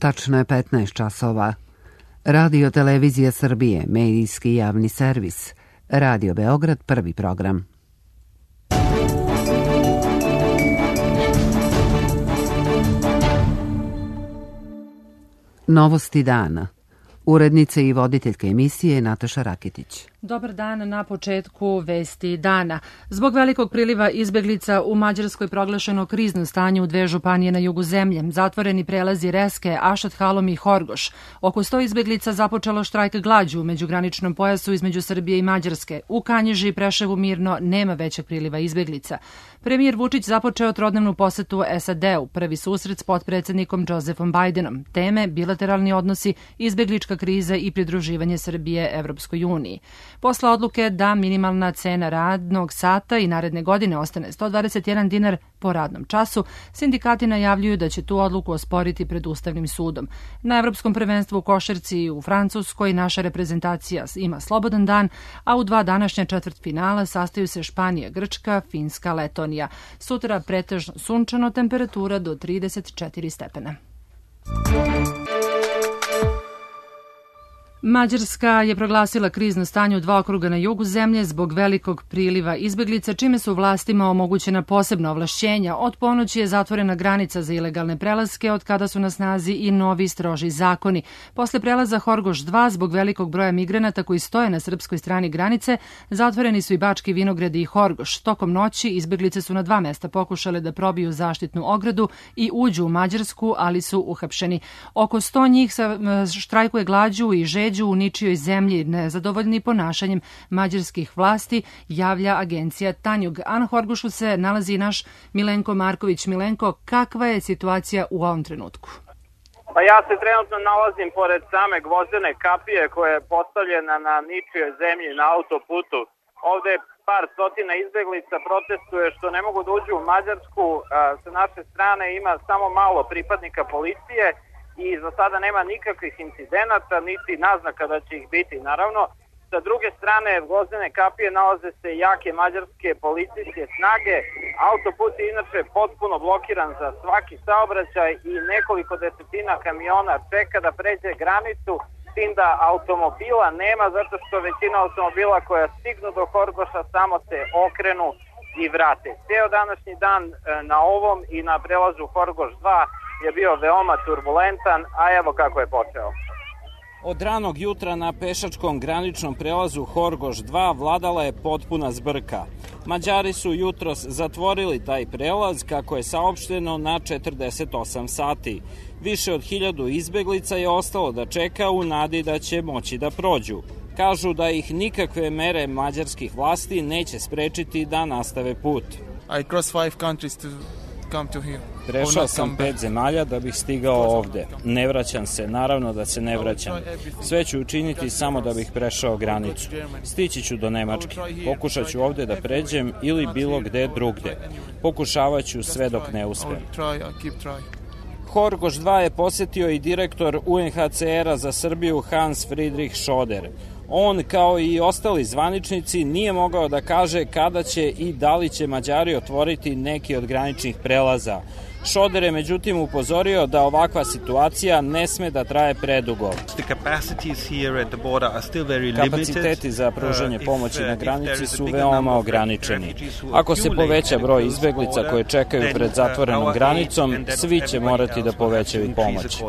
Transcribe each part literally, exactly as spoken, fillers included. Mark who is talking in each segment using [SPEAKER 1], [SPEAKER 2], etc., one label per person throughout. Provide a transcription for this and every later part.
[SPEAKER 1] Tačno je petnaest časova. Radio Televizija Srbije, medijski javni servis. Radio Beograd, prvi program. Novosti dana. Urednica i voditeljka emisije Nataša Raketić.
[SPEAKER 2] Dobar dan na početku vesti dana. Zbog velikog priliva izbeglica u Mađarskoj proglašeno krizno stanje u dve županije na jugu zemlje. Zatvoreni prelazi Reske, Ašat Halom i Horgoš. Oko sto izbeglica započelo štrajk glađu u međugraničnom pojasu između Srbije i Mađarske. U Kanjiži i Preševu mirno nema većeg priliva izbeglica. Premijer Vučić započeo trodnevnu posetu S A D-u, prvi susret s potpredsednikom Josefom Bajdenom. Teme bilateralni odnosi, izbeglička kriza i pridruživanje Srbije Evropskoj uniji. Posle odluke da minimalna cena radnog sata i naredne godine ostane sto dvadeset jedan dinar po radnom času, sindikati najavljuju da će tu odluku osporiti pred Ustavnim sudom. Na Evropskom prvenstvu u košarci u Francuskoj naša reprezentacija ima slobodan dan, a u dva današnja četvrtfinala sastaju se Španija, Grčka, Finska, Letonija. Sutra pretežno sunčano, temperatura do trideset četiri stepena. Mađarska je proglasila krizno stanje u dva okruga na jugu zemlje zbog velikog priliva izbeglica, čime su vlastima omogućena posebna ovlašćenja. Od ponoći je zatvorena granica za ilegalne prelaske, od kada su na snazi i novi stroži zakoni. Posle prelaza Horgoš dva, zbog velikog broja migranata koji stoje na srpskoj strani granice, zatvoreni su i Bački Vinogradi i Horgoš. Tokom noći izbeglice su na dva mesta pokušale da probiju zaštitnu ogradu i uđu u Mađarsku, ali su uhapšeni. Oko sto njih štrajkuje glađu i žeđu u ničijoj zemlji, nezadovoljni ponašanjem mađarskih vlasti, javlja agencija Tanjug. A na Horgošu se nalazi naš Milenko Marković. Milenko, kakva je situacija u ovom trenutku?
[SPEAKER 3] Pa ja se trenutno nalazim pored same gvozdene kapije koja je postavljena na ničijoj zemlji na autoputu. Ovde par stotina izbeglica protestuje što ne mogu da uđu u Mađarsku. Sa naše strane ima samo malo pripadnika policije i za sada nema nikakvih incidenata, niti naznaka da će ih biti. Naravno, sa druge strane gvozdene kapije nalaze se jake mađarske policijske snage. Autoput je inače potpuno blokiran za svaki saobraćaj i nekoliko desetina kamiona čeka da pređe granicu, s tim da automobila nema, zato što većina automobila koja stignu do Horgoša samo se okrenu i vrate. Ceo današnji dan na ovom i na prelazu Horgoš dva je bio veoma turbulentan, a evo kako je počeo.
[SPEAKER 4] Od ranog jutra na pešačkom graničnom prelazu Horgoš dva vladala je potpuna zbrka. Mađari su jutros zatvorili taj prelaz, kako je saopšteno, na četrdeset osam sati. Više od hiljadu izbeglica je ostalo da čeka u nadi da će moći da prođu. Kažu da ih nikakve mere mađarskih vlasti neće sprečiti da nastave put.
[SPEAKER 5] I crossed five countries to come to here.
[SPEAKER 4] Prešao sam pet zemalja da bih stigao ovde. Ne vraćam se, naravno da se ne vraćam. Sve ću učiniti samo da bih prešao granicu. Stići ću do Nemačke. Pokušat ću ovde da pređem ili bilo gde drugde. Pokušavat ću sve dok ne uspem. Horgoš dva je posetio i direktor U N H C R-a za Srbiju Hans Friedrich Schoder. On, kao i ostali zvaničnici, nije mogao da kaže kada će i da li će Mađari otvoriti neki od graničnih prelaza. Šoder je međutim upozorio da ovakva situacija ne sme da traje predugo. Kapaciteti za pružanje pomoći na granici su veoma ograničeni. Ako se poveća broj izbeglica koje čekaju pred zatvorenom granicom, svi će morati da povećaju pomoć.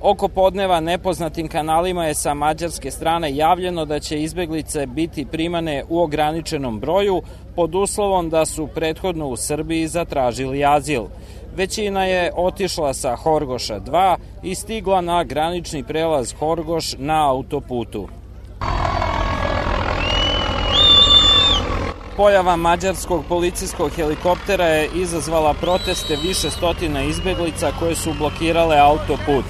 [SPEAKER 4] Oko podneva nepoznatim kanalima je sa mađarske strane javljeno da će izbeglice biti primane u ograničenom broju pod uslovom da su prethodno u Srbiji zatražili azil. Većina je otišla sa Horgoša dva i stigla na granični prelaz Horgoš na autoputu. Pojava mađarskog policijskog helikoptera je izazvala proteste više stotina izbeglica koje su blokirale autoput.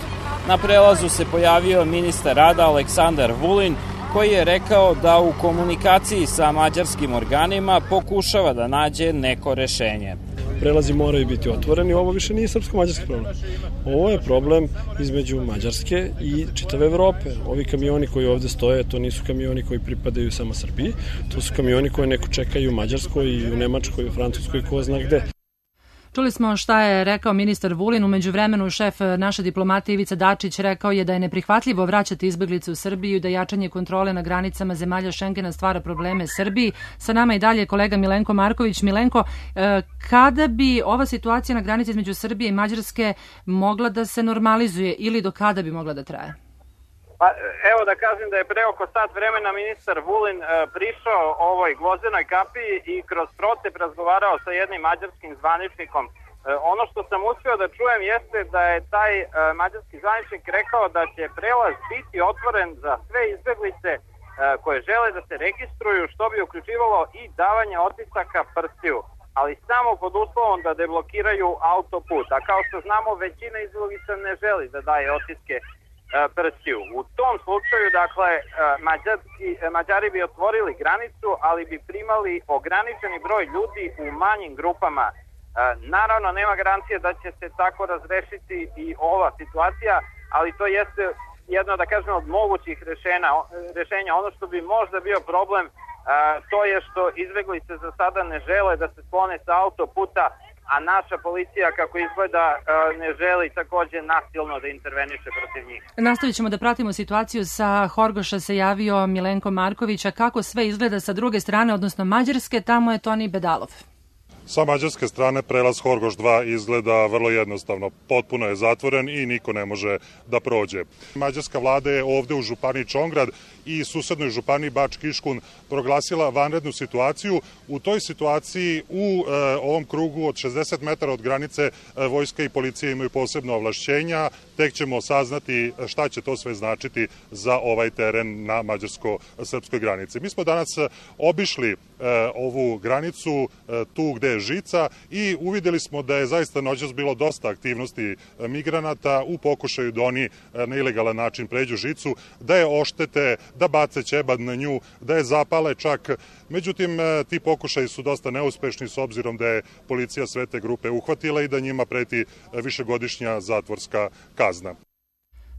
[SPEAKER 4] Na prelazu se pojavio ministar rada Aleksandar Vulin, koji je rekao da u komunikaciji sa mađarskim organima pokušava da nađe neko rešenje.
[SPEAKER 6] Prelazi moraju biti otvoreni, ovo više nije srpsko-mađarski problem. Ovo je problem između Mađarske i čitave Evrope. Ovi kamioni koji ovde stoje, to nisu kamioni koji pripadaju samo Srbiji, to su kamioni koje neko čekaju u Mađarskoj i u Nemačkoj, u Francuskoj, ko zna gde.
[SPEAKER 2] Čuli smo šta je rekao ministar Vulin. U međuvremenu šef naše diplomatije Ivica Dačić rekao je da je neprihvatljivo vraćati izbeglice u Srbiju i da jačanje kontrole na granicama zemalja Šengena stvara probleme Srbiji. Sa nama i dalje kolega Milenko Marković. Milenko, kada bi ova situacija na granici između Srbije i Mađarske mogla da se normalizuje ili do kada bi mogla da traje?
[SPEAKER 3] Pa, evo da kažem da je pre oko sat vremena ministar Vulin e, prišao ovoj Gvozdenoj kapiji i kroz procep razgovarao sa jednim mađarskim zvaničnikom. E, ono što sam uspio da čujem jeste da je taj e, mađarski zvaničnik rekao da će prelaz biti otvoren za sve izbeglice e, koje žele da se registruju, što bi uključivalo i davanje otisaka prstiju, ali samo pod uslovom da deblokiraju autoput. A kao što znamo, većina izbeglica ne želi da daje otiske prstiju. U tom slučaju, dakle, Mađarski, Mađari bi otvorili granicu, ali bi primali ograničeni broj ljudi u manjim grupama. Naravno, nema garancije da će se tako razrešiti i ova situacija, ali to jeste jedno, da kažem, od mogućih rešenja. rešenja. Ono što bi možda bio problem, to je što izbeglice za sada ne žele da se sklone sa autoputa, a naša policija, kako izgleda, ne želi takođe nasilno da interveniše protiv njih.
[SPEAKER 2] Nastavit ćemo da pratimo situaciju. Sa Horgoša se javio Milenko Marković, a kako sve izgleda sa druge strane, odnosno Mađarske, tamo je Toni Bedalov.
[SPEAKER 7] Sa mađarske strane prelaz Horgoš dva izgleda vrlo jednostavno. Potpuno je zatvoren i niko ne može da prođe. Mađarska vlada je ovde u županiji Čongrad i susednoj županiji Bački Iškun proglasila vanrednu situaciju. U toj situaciji u e, ovom krugu od šezdeset metara od granice e, vojska i policija imaju posebno ovlašćenja. Tek ćemo saznati šta će to sve značiti za ovaj teren na mađarsko-srpskoj granici. Mi smo danas obišli e, ovu granicu e, tu gde je žica i uvideli smo da je zaista noćas bilo dosta aktivnosti migranata u pokušaju da oni na ilegalan način pređu žicu, da je oštete, da bace ćebad na nju, da je zapale čak. Međutim, ti pokušaji su dosta neuspešni s obzirom da je policija sve te grupe uhvatila i da njima preti višegodišnja zatvorska kazna.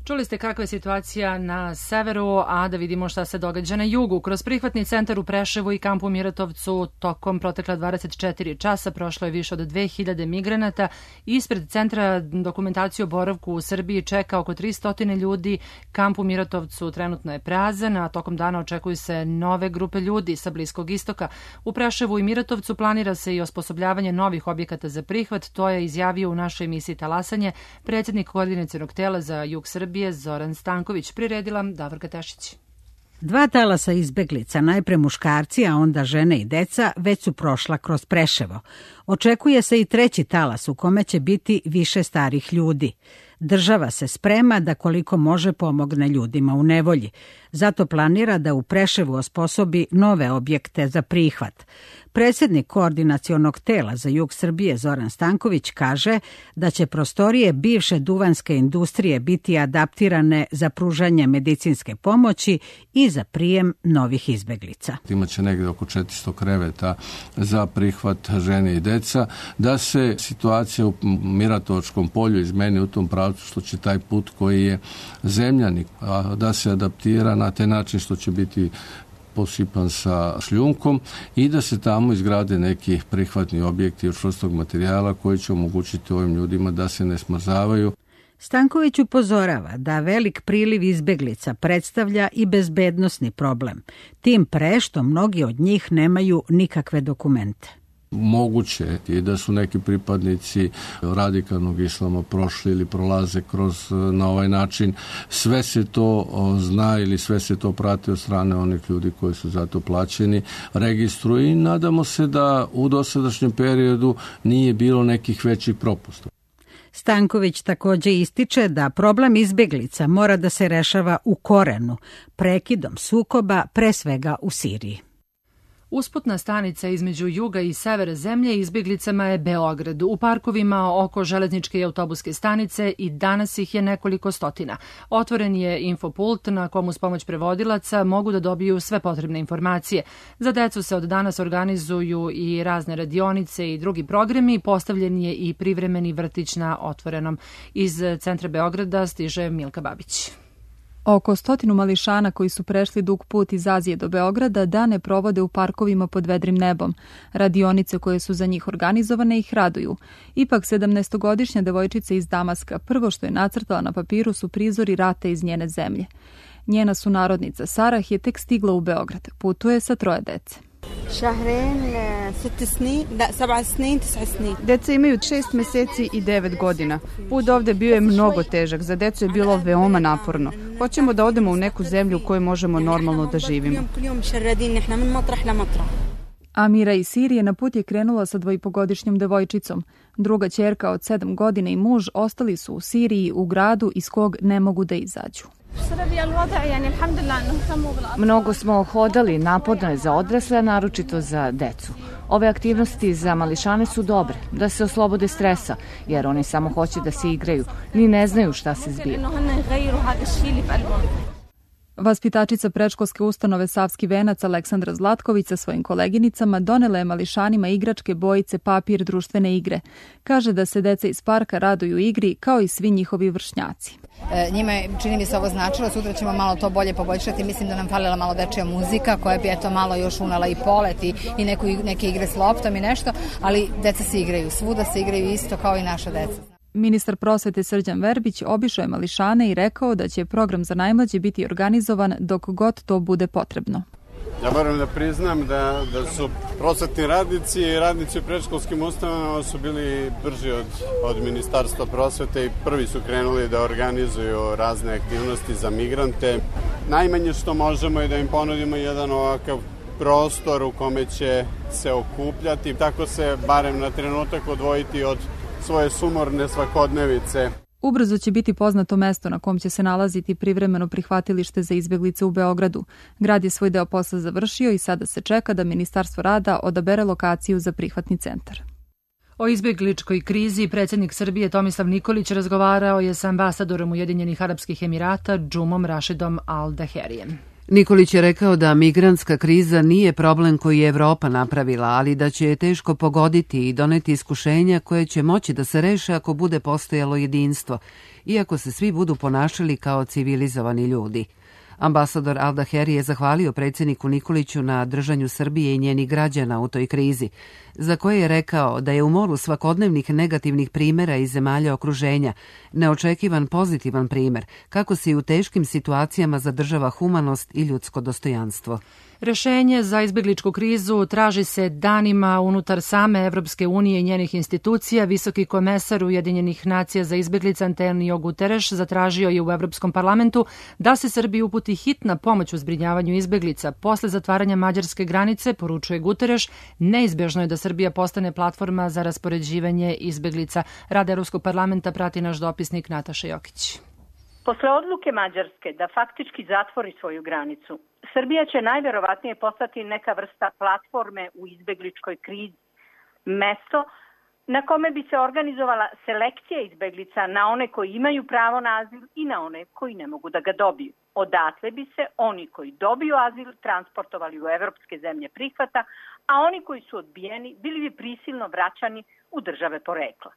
[SPEAKER 2] Čuli ste kakva je situacija na severu, a da vidimo šta se događa na jugu. Kroz prihvatni centar u Preševu i kampu Miratovcu tokom protekla dvadeset četiri časa prošlo je više od dve hiljade migranata. Ispred centra dokumentaciju o boravku u Srbiji čeka oko tristo ljudi. Kamp u Miratovcu trenutno je prazan, a tokom dana očekuju se nove grupe ljudi sa Bliskog istoka. U Preševu i Miratovcu planira se i osposobljavanje novih objekata za prihvat. To je izjavio u našoj emisiji Talasanje predsjednik koordinacionog tela za jug Srbije Zoran Stanković. Priredila Davorka Tešić.
[SPEAKER 8] Dva talasa izbeglica, najpre muškarci, a onda žene i deca, već su prošla kroz Preševo. Očekuje se i treći talas u kome će biti više starih ljudi. Država se sprema da koliko može pomogne ljudima u nevolji. Zato planira da u Preševu osposobi nove objekte za prihvat. Predsjednik koordinacionog tela za jug Srbije Zoran Stanković kaže da će prostorije bivše duvanske industrije biti adaptirane za pružanje medicinske pomoći i za prijem novih izbeglica.
[SPEAKER 9] Imaće negde oko četiristo kreveta za prihvat žene i deca, da se situacija u Miratovačkom polju izmeni u tom pravcu što će taj put koji je zemljanik, da se adaptira na taj način što će biti posipan sa šljunkom i da se tamo izgrade neki prihvatni objekti od čvrstog materijala koji će omogućiti ovim ljudima da se ne smrzavaju.
[SPEAKER 8] Stanković upozorava da velik priliv izbeglica predstavlja i bezbednosni problem, tim pre što mnogi od njih nemaju nikakve dokumente.
[SPEAKER 9] Moguće je da su neki pripadnici radikalnog islama prošli ili prolaze kroz na ovaj način. Sve se to zna ili sve se to prati od strane onih ljudi koji su za to plaćeni, registruju i nadamo se da u dosadašnjem periodu nije bilo nekih većih propusta.
[SPEAKER 8] Stanković takođe ističe da problem izbeglica mora da se rešava u korenu, prekidom sukoba, pre svega u Siriji.
[SPEAKER 2] Usputna stanica između juga i severa zemlje izbjeglicama je Beograd. U parkovima oko železničke i autobuske stanice i danas ih je nekoliko stotina. Otvoren je infopult na komu s pomoć prevodilaca mogu da dobiju sve potrebne informacije. Za decu se od danas organizuju i razne radionice i drugi programi. Postavljen je i privremeni vrtić na otvorenom. Iz centra Beograda stiže Milka Babić.
[SPEAKER 10] Oko stotinu mališana koji su prešli dug put iz Azije do Beograda dane provode u parkovima pod vedrim nebom. Radionice koje su za njih organizovane ih raduju. Ipak sedamnaestogodišnja devojčica iz Damaska prvo što je nacrtala na papiru su prizori rata iz njene zemlje. Njena sunarodnica Sarah je tek stigla u Beograd. Putuje sa troje dece.
[SPEAKER 11] Deca imaju šest meseci i devet godina. Put ovde bio je mnogo težak, za decu je bilo veoma naporno. Hoćemo da odemo u neku zemlju u kojoj možemo normalno da živimo.
[SPEAKER 10] Amira iz Sirije na put je krenula sa dvojipogodišnjom devojčicom. Druga ćerka od sedam godina i muž ostali su u Siriji, u gradu iz kog ne mogu da izađu.
[SPEAKER 12] Mnogo smo hodali, naporno je za odrasle, a naročito za decu. Ove aktivnosti za mališane su dobre, da se oslobode stresa, jer oni samo hoće da se igraju, ni ne znaju šta se zbiva.
[SPEAKER 10] Vaspitačica predškolske ustanove Savski venac Aleksandra Zlatković sa svojim koleginicama donela je mališanima igračke, bojice, papir, društvene igre. Kaže da se deca iz parka raduju igri kao i svi njihovi vršnjaci.
[SPEAKER 13] E, njima je, čini mi se, ovo značilo, sutra ćemo malo to bolje poboljšati. Mislim da nam falila malo dečija muzika koja bi eto malo još unala i polet i, i neku, neke igre s loptom i nešto, ali deca se igraju, svuda se igraju isto kao i naša deca.
[SPEAKER 10] Ministar prosvete Srđan Verbić obišao je mališane i rekao da će program za najmlađe biti organizovan dok god to bude potrebno.
[SPEAKER 14] Ja moram da priznam da, da su prosvetni radnici i radnici u predškolskim ustanovama su bili brži od, od Ministarstva prosvete i prvi su krenuli da organizuju razne aktivnosti za migrante. Najmanje što možemo je da im ponudimo jedan ovakav prostor u kome će se okupljati, tako se barem na trenutak odvojiti od svoje sumorne svakodnevice.
[SPEAKER 10] Ubrzo će biti poznato mesto na kom će se nalaziti privremeno prihvatilište za izbeglice u Beogradu. Grad je svoj deo posla završio i sada se čeka da Ministarstvo rada odabere lokaciju za prihvatni centar.
[SPEAKER 2] O izbegličkoj krizi predsjednik Srbije Tomislav Nikolić razgovarao je sa ambasadorom Ujedinjenih Arapskih Emirata Džumom Rašidom Al Daherijem.
[SPEAKER 1] Nikolić je rekao da migrantska kriza nije problem koji je Evropa napravila, ali da će je teško pogoditi i doneti iskušenja koje će moći da se reše ako bude postojalo jedinstvo, iako se svi budu ponašali kao civilizovani ljudi. Ambasador Al Daheri je zahvalio predsjedniku Nikoliću na držanju Srbije i njenih građana u toj krizi, za koje je rekao da je u moru svakodnevnih negativnih primjera iz zemalja okruženja neočekivan pozitivan primjer, kako se i u teškim situacijama zadržava humanost i ljudsko dostojanstvo.
[SPEAKER 2] Rešenje za izbegličku krizu traži se danima unutar same Evropske unije i njenih institucija. Visoki komesar Ujedinjenih nacija za izbeglice Antonio Guterres zatražio je u Evropskom parlamentu da se Srbiji uputi hitna pomoć u zbrinjavanju izbeglica. Posle zatvaranja mađarske granice, poručuje Guterres, neizbežno je da Srbija postane platforma za raspoređivanje izbeglica. Rad Evropskog parlamenta prati naš dopisnik Nataša Jokić.
[SPEAKER 15] Posle odluke Mađarske da faktički zatvori svoju granicu, Srbija će najverovatnije postati neka vrsta platforme u izbegličkoj krizi. Mesto na kome bi se organizovala selekcija izbeglica na one koji imaju pravo na azil i na one koji ne mogu da ga dobiju. Odatle bi se oni koji dobiju azil transportovali u evropske zemlje prihvata, a oni koji su odbijeni bili bi prisilno vraćani u države porekla.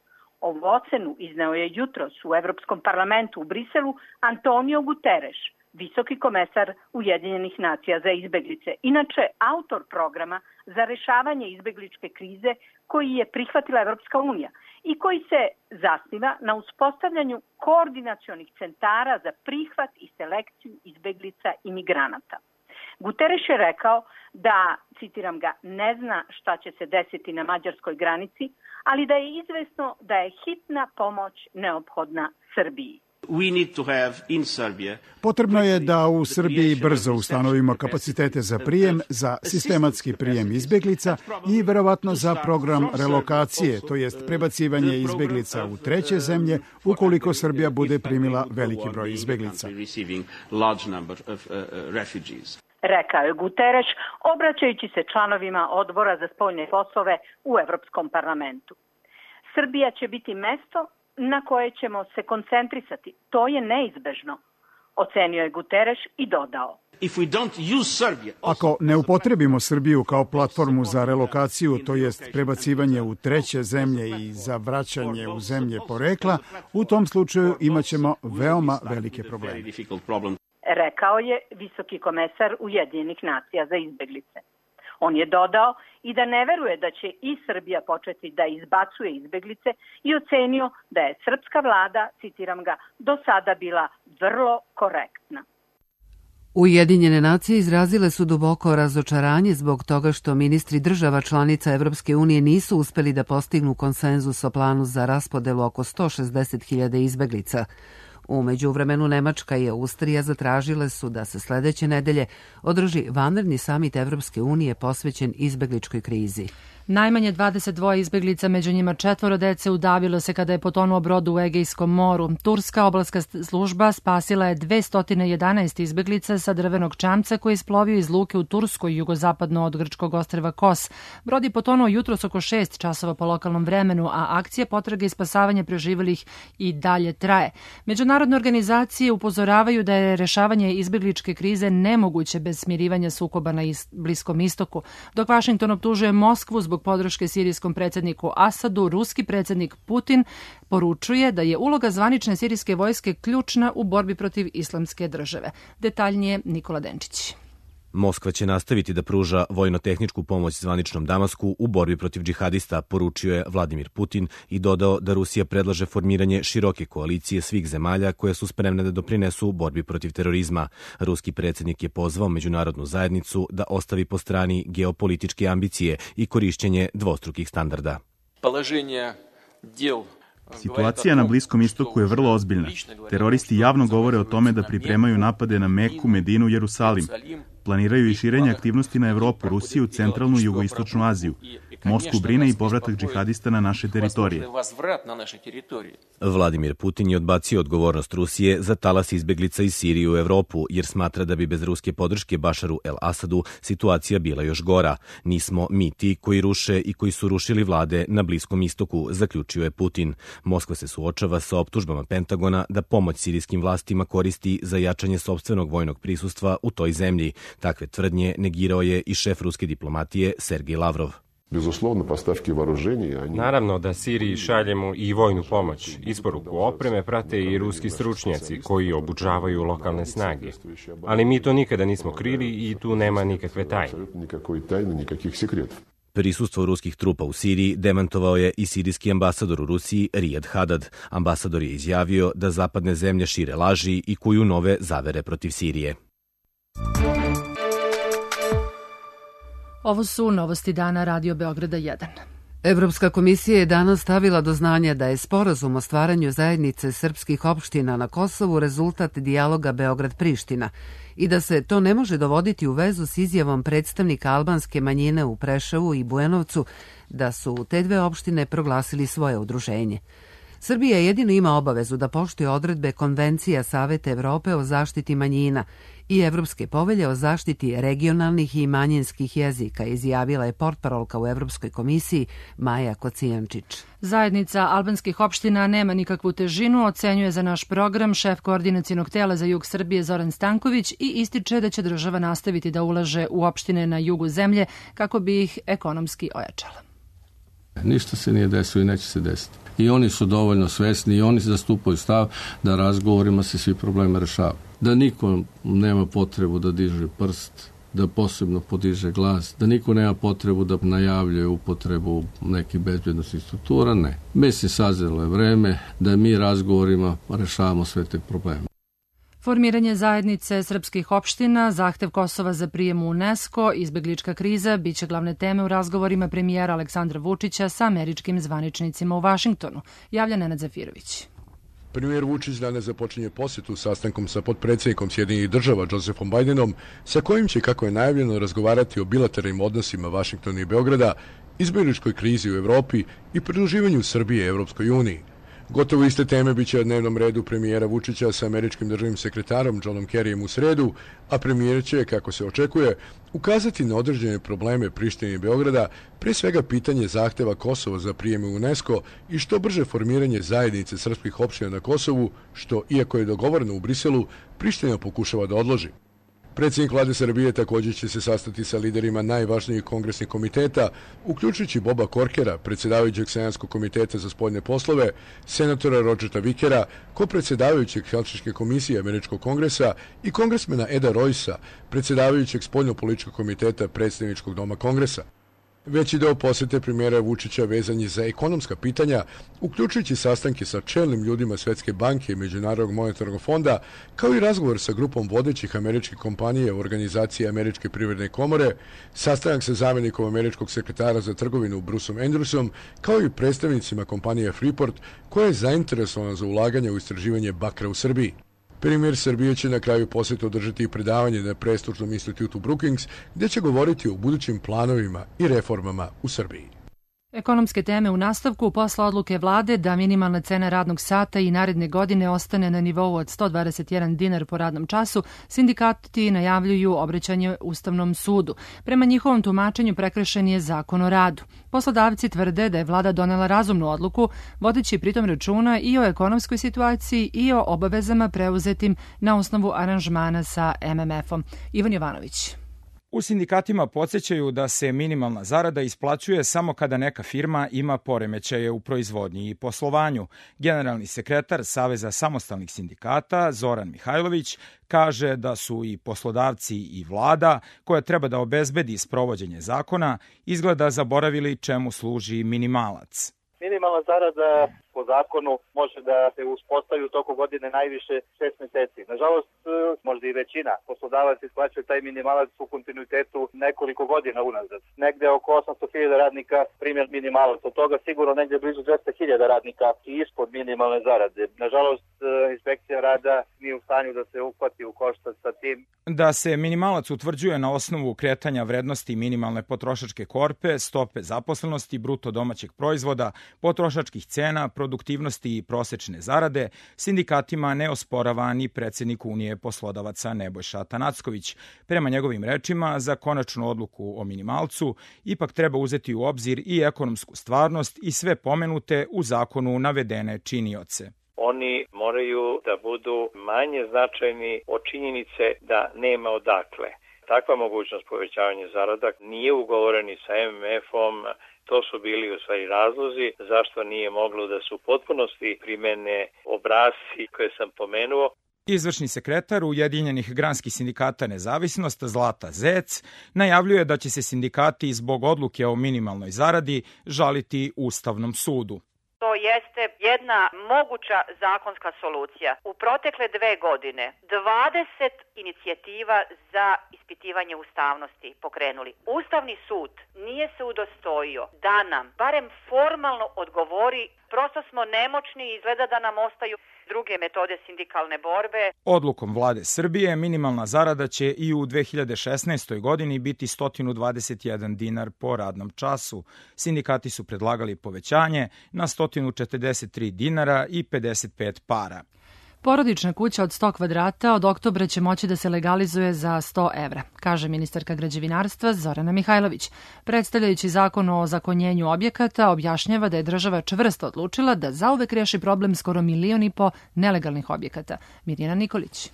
[SPEAKER 15] Ovu ocenu izneo je jutros u Evropskom parlamentu u Briselu Antonio Guterres, visoki komesar Ujedinjenih nacija za izbeglice, inače autor programa za rešavanje izbegličke krize koji je prihvatila Evropska unija i koji se zasniva na uspostavljanju koordinacionih centara za prihvat i selekciju izbeglica i migranata. Guterres je rekao da, citiram ga, ne zna šta će se desiti na mađarskoj granici, ali da je izvesno da je hitna pomoć neophodna Srbiji.
[SPEAKER 16] Potrebno je da u Srbiji brzo ustanovimo kapacitete za prijem, za sistematski prijem izbeglica i verovatno za program relokacije, to jest prebacivanje izbeglica u treće zemlje ukoliko Srbija bude primila veliki broj izbeglica.
[SPEAKER 15] Rekao je Guterres, obraćajući se članovima odbora za spoljne poslove u Evropskom parlamentu. Srbija će biti mesto na koje ćemo se koncentrisati. To je neizbežno, ocenio je Guterres i dodao.
[SPEAKER 16] Ako ne upotrebimo Srbiju kao platformu za relokaciju, to jest prebacivanje u treće zemlje i za vraćanje u zemlje porekla, u tom slučaju imaćemo veoma velike probleme.
[SPEAKER 15] rekao je visoki komesar Ujedinjenih nacija za izbeglice. On je dodao i da ne veruje da će i Srbija početi da izbacuje izbeglice i ocenio da je srpska vlada, citiram ga, do sada bila vrlo korektna.
[SPEAKER 1] Ujedinjene nacije izrazile su duboko razočaranje zbog toga što ministri država članica Evropske unije nisu uspeli da postignu konsenzus o planu za raspodelu oko sto šezdeset hiljada izbeglica. U međuvremenu Nemačka i Austrija zatražile su da se sledeće nedelje održi vanredni samit Evropske unije posvećen izbegličkoj krizi.
[SPEAKER 2] Najmanje dvadeset dva izbeglica, među njima četvoro dece, udavilo se kada je potonuo brod u Egejskom moru. Turska obalska služba spasila je dvesta jedanaest izbeglica sa drvenog čamca koji je isplovio iz luke u Turskoj, jugozapadno od grčkog ostrva Kos. Brod je potonuo jutros oko šest časova po lokalnom vremenu, a akcija potrage i spasavanja preživelih i dalje traje. Međunarodne organizacije upozoravaju da je rešavanje izbegličke krize nemoguće bez smirivanja sukoba na Bliskom istoku. Dok Vašington optužuje Moskvu zbog podrške sirijskom predsjedniku Asadu, ruski predsjednik Putin poručuje da je uloga zvanične sirijske vojske ključna u borbi protiv islamske države. Detaljnije Nikola Denčić.
[SPEAKER 17] Moskva će nastaviti da pruža vojno-tehničku pomoć zvaničnom Damasku u borbi protiv džihadista, poručio je Vladimir Putin i dodao da Rusija predlaže formiranje široke koalicije svih zemalja koje su spremne da doprinesu u borbi protiv terorizma. Ruski predsjednik je pozvao međunarodnu zajednicu da ostavi po strani geopolitičke ambicije i korišćenje dvostrukih standarda.
[SPEAKER 18] Situacija na Bliskom istoku je vrlo ozbiljna. Teroristi javno govore o tome da pripremaju napade na Meku, Medinu, Jerusalim. Planiraju i širenje aktivnosti na Evropu, Rusiju, centralnu i jugoistočnu Aziju. Moskvu brine i povratak džihadista na naše teritorije.
[SPEAKER 17] Vladimir Putin je odbacio odgovornost Rusije za talas izbeglica iz Sirije u Evropu, jer smatra da bi bez ruske podrške Bašaru el-Asadu situacija bila još gora. Nismo mi ti koji ruše i koji su rušili vlade na Bliskom istoku, zaključio je Putin. Moskva se suočava sa optužbama Pentagona da pomoć sirijskim vlastima koristi za jačanje sopstvenog vojnog prisustva u toj zemlji. Takve tvrdnje negirao je i šef ruske diplomatije Sergej Lavrov.
[SPEAKER 19] Naravno da Siriji šaljemo i vojnu pomoć. Isporuku opreme prate i ruski stručnjaci koji obučavaju lokalne snage. Ali mi to nikada nismo krili i tu nema nikakve tajne.
[SPEAKER 17] Prisustvo ruskih trupa u Siriji demantovao je i sirijski ambasador u Rusiji Rijad Hadad. Ambasador je izjavio da zapadne zemlje šire laži i kuju nove zavere protiv Sirije.
[SPEAKER 2] Ovo su novosti dana Radio Beograda jedan.
[SPEAKER 1] Evropska komisija je danas stavila do znanja da je sporazum o stvaranju zajednice srpskih opština na Kosovu rezultat dijaloga Beograd-Priština i da se to ne može dovoditi u vezu s izjavom predstavnika albanske manjine u Preševu i Bujanovcu da su te dve opštine proglasili svoje udruženje. Srbija jedino ima obavezu da poštuje odredbe Konvencija Saveta Evrope o zaštiti manjina i Evropske povelje o zaštiti regionalnih i manjinskih jezika, izjavila je portparolka u Evropskoj komisiji Maja Kocijančić.
[SPEAKER 2] Zajednica albanskih opština nema nikakvu težinu, ocenjuje za naš program šef koordinacionog tela za jug Srbije Zoran Stanković i ističe da će država nastaviti da ulaže u opštine na jugu zemlje kako bi ih ekonomski ojačala.
[SPEAKER 9] Ništa se nije desilo i neće se desiti. I oni su dovoljno svesni i oni zastupaju stav da razgovorima se svi problemi rešavaju. Da niko nema potrebu da diže prst, da posebno podiže glas, da niko nema potrebu da najavljuje upotrebu nekih bezbednostnih struktura, ne. Mislim, sazrelo je vreme da mi razgovorima rešavamo sve te probleme.
[SPEAKER 2] Formiranje zajednice srpskih opština, zahtev Kosova za prijem u UNESCO, izbeglička kriza biće glavne teme u razgovorima premijera Aleksandra Vučića sa američkim zvaničnicima u Vašingtonu, javlja Nenad Zafirović.
[SPEAKER 20] Premijer Vučić danas započinje posjetu sastankom sa potpredsjednikom Sjedinjenih država Josephom Bidenom, sa kojim će, kako je najavljeno, razgovarati o bilateralnim odnosima Vašingtona i Beograda, izbegličkoj krizi u Evropi i pridruživanju Srbije Evropskoj uniji. Gotovo iste teme biće na dnevnom redu premijera Vučića sa američkim državnim sekretarom Johnom Kerryjem u sredu, a premijer će, kako se očekuje, ukazati na određene probleme Prištine i Beograda, pre svega pitanje zahteva Kosova za prijem u UNESCO i što brže formiranje zajednice srpskih opština na Kosovu, što, iako je dogovoreno u Briselu, Priština pokušava da odloži. Predsjednik vlade Srbije također će se sastati sa liderima najvažnijih kongresnih komiteta, uključujući Boba Korkera, predsjedavajućeg Senatskog komiteta za spoljne poslove, senatora Rodžera Vikera, kopredsjedavajućeg Helsinške komisije Američkog kongresa i kongresmena Eda Roysa, predsjedavajućeg spoljnopolitičkog komiteta Predstavničkog doma kongresa. Veći deo posete premijera Vučića vezan je za ekonomska pitanja, uključujući sastanke sa čelnim ljudima Svetske banke i Međunarodnog monetarnog fonda, kao i razgovor sa grupom vodećih američkih kompanija u organizaciji Američke privredne komore, sastanak sa zamjenikom američkog sekretara za trgovinu Bruceom Andrewsom, kao i predstavnicima kompanije Freeport, koja je zainteresovana za ulaganje u istraživanje bakra u Srbiji. Premijer Srbije će na kraju posete održati i predavanje na prestižnom institutu Brookings, gdje će govoriti o budućim planovima i reformama u Srbiji.
[SPEAKER 2] Ekonomske teme u nastavku posle odluke vlade da minimalna cena radnog sata i naredne godine ostane na nivou od sto dvadeset jedan dinar po radnom času, sindikati najavljuju obraćanje Ustavnom sudu. Prema njihovom tumačenju prekršen je Zakon o radu. Poslodavci tvrde da je vlada donela razumnu odluku, vodeći pritom računa i o ekonomskoj situaciji i o obavezama preuzetim na osnovu aranžmana sa em em efom. Ivan Jovanović.
[SPEAKER 21] U sindikatima podsjećaju da se minimalna zarada isplaćuje samo kada neka firma ima poremećaje u proizvodnji i poslovanju. Generalni sekretar Saveza samostalnih sindikata Zoran Mihajlović kaže da su i poslodavci i vlada, koja treba da obezbedi sprovođenje zakona, izgleda zaboravili čemu služi minimalac.
[SPEAKER 22] Minimalna zarada po zakonu može da se uspostavi u toku godine najviše šest meseci. Nažalost, možda i većina poslodavaca isplaćuje taj minimalac u kontinuitetu nekoliko godina unazad. Negde oko osamsto hiljada radnika primjer minimalac. Od toga sigurno negde blizu dvesta hiljada radnika i ispod minimalne zarade. Nažalost, inspekcija rada nije u stanju da se uhvati u koštac sa tim.
[SPEAKER 21] Da se minimalac utvrđuje na osnovu kretanja vrednosti minimalne potrošačke korpe, stope zaposlenosti, bruto domaćeg proizvoda, potrošačkih cena, produktivnosti i prosečne zarade, sindikatima ne osporava ni predsjednik Unije poslodavaca Nebojša Atanacković. Prema njegovim rečima, za konačnu odluku o minimalcu ipak treba uzeti u obzir i ekonomsku stvarnost i sve pomenute u zakonu navedene činioce.
[SPEAKER 23] Oni moraju da budu manje značajni od činjenice da nema odakle. Takva mogućnost povećavanja zarada nije ugovoreni sa em em efom. To su bili u stvari razlozi zašto nije moglo da se u potpunosti primene obrasci koje sam pomenuo.
[SPEAKER 21] Izvršni sekretar Ujedinjenih granskih sindikata Nezavisnost Zlata Zec najavljuje da će se sindikati zbog odluke o minimalnoj zaradi žaliti Ustavnom sudu.
[SPEAKER 24] To jeste jedna moguća zakonska solucija. U protekle dve godine dvadeset inicijativa za ispitivanje ustavnosti pokrenuli. Ustavni sud nije se udostojio da nam barem formalno odgovori. Prosto smo nemoćni i izgleda da nam ostaju druge metode sindikalne borbe.
[SPEAKER 21] Odlukom vlade Srbije minimalna zarada će i u dve hiljade šesnaestoj godini biti sto dvadeset jedan dinar po radnom času. Sindikati su predlagali povećanje na sto četrdeset tri dinara i pedeset pet para.
[SPEAKER 2] Porodična kuća od sto kvadrata od oktobra će moći da se legalizuje za sto evra, kaže ministarka građevinarstva Zorana Mihajlović. Predstavljajući zakon o zakonjenju objekata, objašnjava da je država čvrsto odlučila da zauvek reši problem skoro milion i po nelegalnih objekata. Mirjana Nikolić.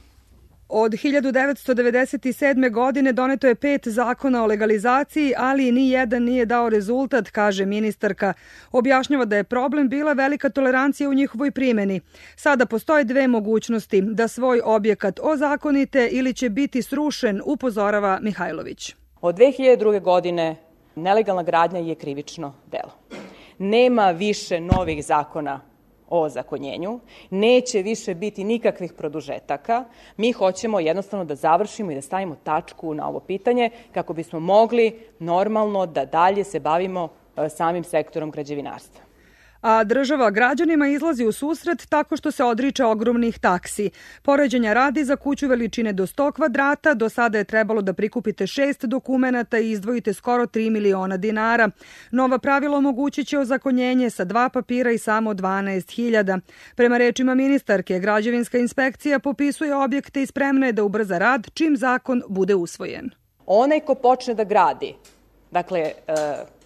[SPEAKER 25] Od hiljadu devetsto devedeset sedme. godine doneto je pet zakona o legalizaciji, ali ni jedan nije dao rezultat, kaže ministarka. Objašnjava da je problem bila velika tolerancija u njihovoj primjeni. Sada postoje dve mogućnosti, da svoj objekat ozakonite ili će biti srušen, upozorava Mihajlović.
[SPEAKER 26] Od dve hiljade druge. godine nelegalna gradnja je krivično delo. Nema više novih zakona o ozakonjenju, neće više biti nikakvih produžetaka. Mi hoćemo jednostavno da završimo i da stavimo tačku na ovo pitanje kako bismo mogli normalno da dalje se bavimo samim sektorom građevinarstva.
[SPEAKER 25] A država građanima izlazi u susret tako što se odriče ogromnih taksi. Poređenja radi, za kuću veličine do sto kvadrata, do sada je trebalo da prikupite šest dokumenata i izdvojite skoro tri miliona dinara. Nova pravila omogućit će ozakonjenje sa dva papira i samo dvanaest hiljada. Prema rečima ministarke, građevinska inspekcija popisuje objekte i spremna je da ubrza rad čim zakon bude usvojen.
[SPEAKER 26] Onaj ko počne da gradi, dakle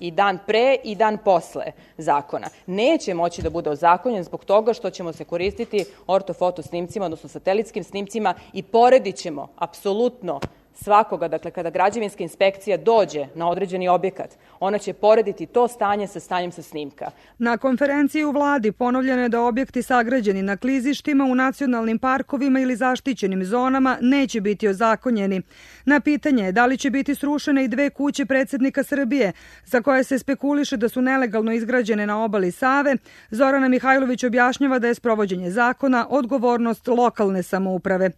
[SPEAKER 26] i dan pre i dan posle zakona, neće moći da bude ozakonjen zbog toga što ćemo se koristiti ortofoto snimcima, odnosno satelitskim snimcima i poredit ćemo apsolutno svakoga, dakle kada građevinska inspekcija dođe na određeni objekat, ona će porediti to stanje sa stanjem sa snimka.
[SPEAKER 25] Na konferenciji u vladi ponovljeno je da objekti sagrađeni na klizištima u nacionalnim parkovima ili zaštićenim zonama neće biti ozakonjeni. Na pitanje je da li će biti srušene i dve kuće predsjednika Srbije, za koje se spekuliše da su nelegalno izgrađene na obali Save, Zorana Mihajlović objašnjava da je sprovođenje zakona odgovornost lokalne samouprave.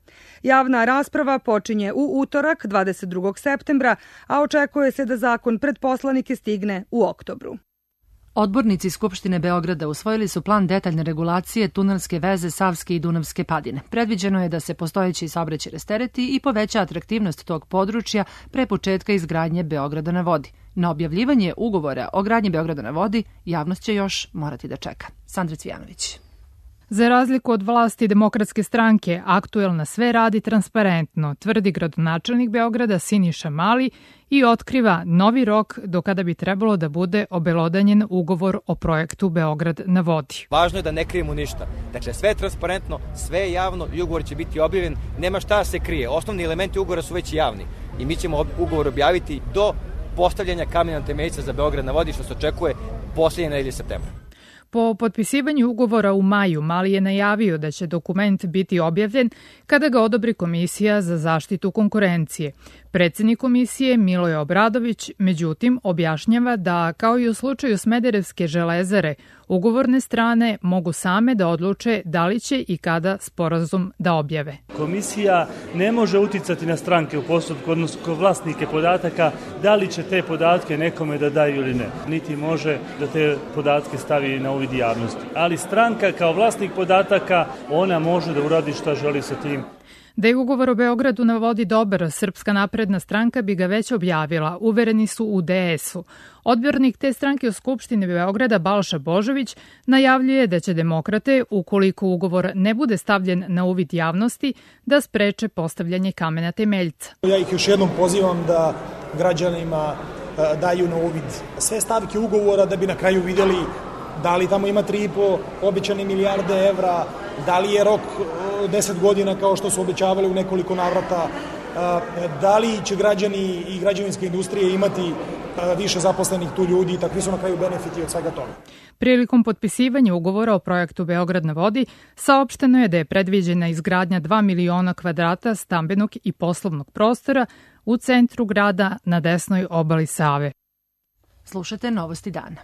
[SPEAKER 25] Javna rasprava počinje u utorak, dvadeset drugog septembra, a očekuje se da zakon pred poslanike stigne u oktobru.
[SPEAKER 2] Odbornici Skupštine Beograda usvojili su plan detaljne regulacije tunelske veze Savske i Dunavske padine. Predviđeno je da se postojeći saobraćaj rastereti i poveća atraktivnost tog područja pre početka izgradnje Beograda na vodi. Na objavljivanje ugovora o gradnji Beograda na vodi javnost će još morati da čeka. Sandra Cvijanović.
[SPEAKER 3] Za razliku od vlasti Demokratske stranke, aktuelna sve radi transparentno, tvrdi gradonačelnik Beograda Siniša Mali i otkriva novi rok do kada bi trebalo da bude obelodanjen ugovor o projektu Beograd na vodi.
[SPEAKER 4] Važno je da ne krijemo ništa. Dakle, sve je transparentno, sve je javno i ugovor će biti objavljen. Nema šta se krije. Osnovni elementi ugovora su već javni i mi ćemo ugovor objaviti do postavljanja kamena temeljca za Beograd na vodi, što se očekuje posljednje nedelje septembra.
[SPEAKER 3] Po potpisivanju ugovora u maju, Mali je najavio da će dokument biti objavljen kada ga odobri Komisija za zaštitu konkurencije. Predsjednik komisije Miloje Obradović, međutim, objašnjava da, kao i u slučaju Smederevske železare, ugovorne strane mogu same da odluče da li će i kada sporazum da objave.
[SPEAKER 5] Komisija ne može uticati na stranke u postupku, odnosno kod vlasnike podataka, da li će te podatke nekome da daju ili ne. Niti može da te podatke stavi na uvid javnosti. Ali stranka kao vlasnik podataka, ona može da uradi šta želi sa tim.
[SPEAKER 3] Da je ugovor o Beogradu na vodi dobar, Srpska napredna stranka bi ga već objavila, uvereni su u D S U. Odbornik te stranke u Skupštini Beograda Balša Božović najavljuje da će demokrate, ukoliko ugovor ne bude stavljen na uvid javnosti, da spreče postavljanje kamena temeljca.
[SPEAKER 6] Ja ih još jednom pozivam da građanima daju na uvid sve stavke ugovora da bi na kraju vidjeli da li tamo ima tri i po obećane milijarde evra, da li je rok deset godina kao što su obećavali u nekoliko navrata, da li će građani i građevinske industrije imati više zaposlenih tu ljudi i takvi su na kraju benefiti od svega toga.
[SPEAKER 3] Prilikom potpisivanja ugovora o projektu Beograd na vodi saopšteno je da je predviđena izgradnja dva miliona kvadrata stambenog i poslovnog prostora u centru grada na desnoj obali Save.
[SPEAKER 2] Slušate Novosti dana.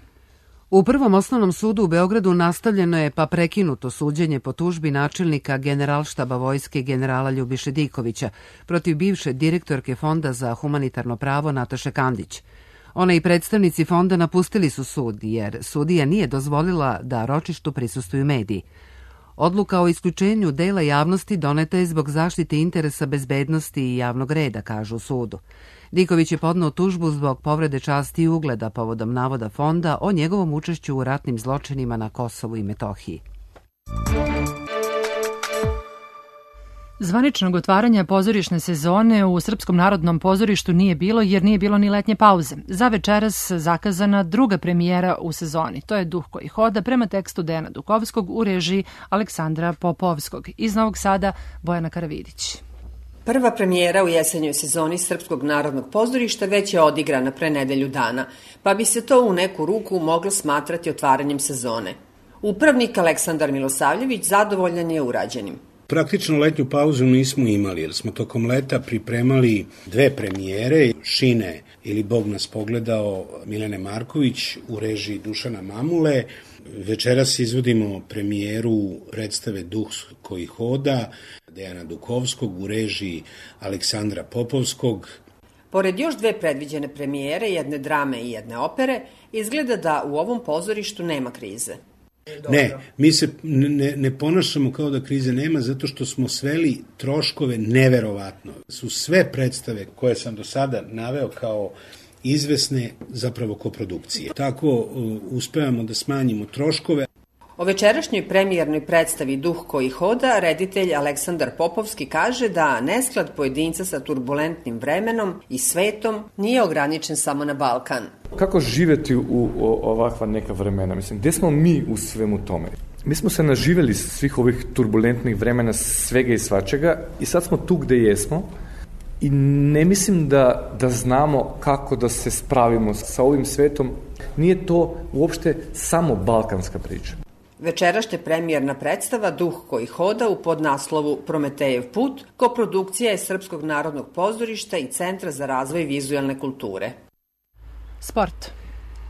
[SPEAKER 1] U Prvom osnovnom sudu u Beogradu nastavljeno je pa prekinuto suđenje po tužbi načelnika Generalštaba vojske generala Ljubiše Dikovića protiv bivše direktorke Fonda za humanitarno pravo Nataše Kandić. Ona i predstavnici fonda napustili su sud jer sudija nije dozvolila da ročištu prisustvuju mediji. Odluka o isključenju dela javnosti doneta je zbog zaštite interesa bezbednosti i javnog reda, kažu u sudu. Diković je podneo tužbu zbog povrede časti i ugleda povodom navoda fonda o njegovom učešću u ratnim zločinima na Kosovu i Metohiji.
[SPEAKER 2] Zvaničnog otvaranja pozorišne sezone u Srpskom narodnom pozorištu nije bilo jer nije bilo ni letnje pauze. Za večeras zakazana druga premijera u sezoni. To je Duh koji hoda prema tekstu Dejana Dukovskog u režiji Aleksandra Popovskog. Iz Novog Sada Bojana Karavidić.
[SPEAKER 7] Prva premijera u jesenjoj sezoni Srpskog narodnog pozorišta već je odigrana pre nedelju dana, pa bi se to u neku ruku moglo smatrati otvaranjem sezone. Upravnik Aleksandar Milosavljević zadovoljan je urađenim.
[SPEAKER 8] Praktično letnju pauzu nismo imali jer smo tokom leta pripremali dve premijere, Šine ili Bog nas pogledao Milene Marković u režiji Dušana Mamule. Večeras izvodimo premijeru predstave Duh koji hoda Dejana Dukovskog u režiji Aleksandra Popovskog.
[SPEAKER 7] Pored još dve predviđene premijere, jedne drame i jedne opere, izgleda da u ovom pozorištu nema krize.
[SPEAKER 8] Ne, mi se ne, ne ponašamo kao da krize nema zato što smo sveli troškove neverovatno. Su sve predstave koje sam do sada naveo kao izvesne zapravo koprodukcije. Tako uh, uspevamo da smanjimo troškove.
[SPEAKER 7] O večerašnjoj premijernoj predstavi Duh koji hoda reditelj Aleksandar Popovski kaže da nesklad pojedinca sa turbulentnim vremenom i svetom nije ograničen samo na Balkan.
[SPEAKER 27] Kako živjeti u ovakva neka vremena? Mislim, gdje smo mi u svemu tome? Mi smo se naživjeli svih ovih turbulentnih vremena, svega i svačega i sad smo tu gdje jesmo I ne mislim da, da znamo kako da se spravimo sa ovim svetom. Nije to uopšte samo balkanska priča.
[SPEAKER 7] Večerašnja premijerna predstava Duh koji hoda u podnaslovu Prometejev put, koprodukcija je Srpskog narodnog pozorišta i Centra za razvoj vizualne kulture.
[SPEAKER 2] Sport.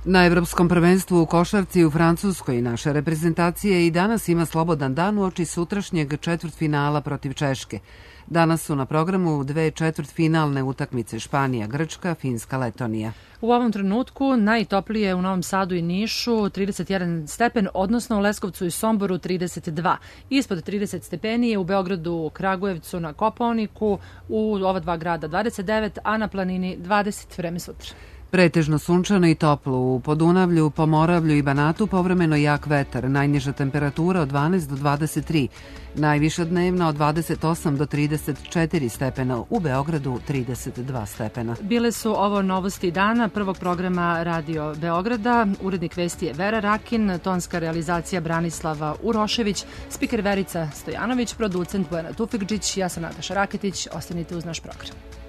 [SPEAKER 1] Na Evropskom prvenstvu u košarci u Francuskoj naša reprezentacija i danas ima slobodan dan uoči sutrašnjeg četvrtfinala protiv Češke. Danas su na programu dve četvrtfinalne utakmice Španija, Grčka, Finska, Letonija.
[SPEAKER 2] U ovom trenutku najtoplije u Novom Sadu i Nišu trideset jedan stepen, odnosno u Leskovcu i Somboru trideset dva. Ispod trideset stepeni je u Beogradu, Kragujevcu, na Kopaoniku, u ova dva grada dvadeset devet, a na planini dvadeset. Vreme sutra.
[SPEAKER 1] Pretežno sunčano i toplo, u Podunavlju, Pomoravlju i Banatu povremeno jak vetar, najniža temperatura od dvanaest do dvadeset tri, najviša dnevna od dvadeset osam do trideset četiri stepena, u Beogradu trideset dva stepena.
[SPEAKER 2] Bile su ovo novosti dana prvog programa Radio Beograda. Urednik vesti je Vera Rakin, tonska realizacija Branislava Urošević, spiker Verica Stojanović, producent Bojana Tufikđić, ja sam Nataša Raketić, ostanite uz naš program.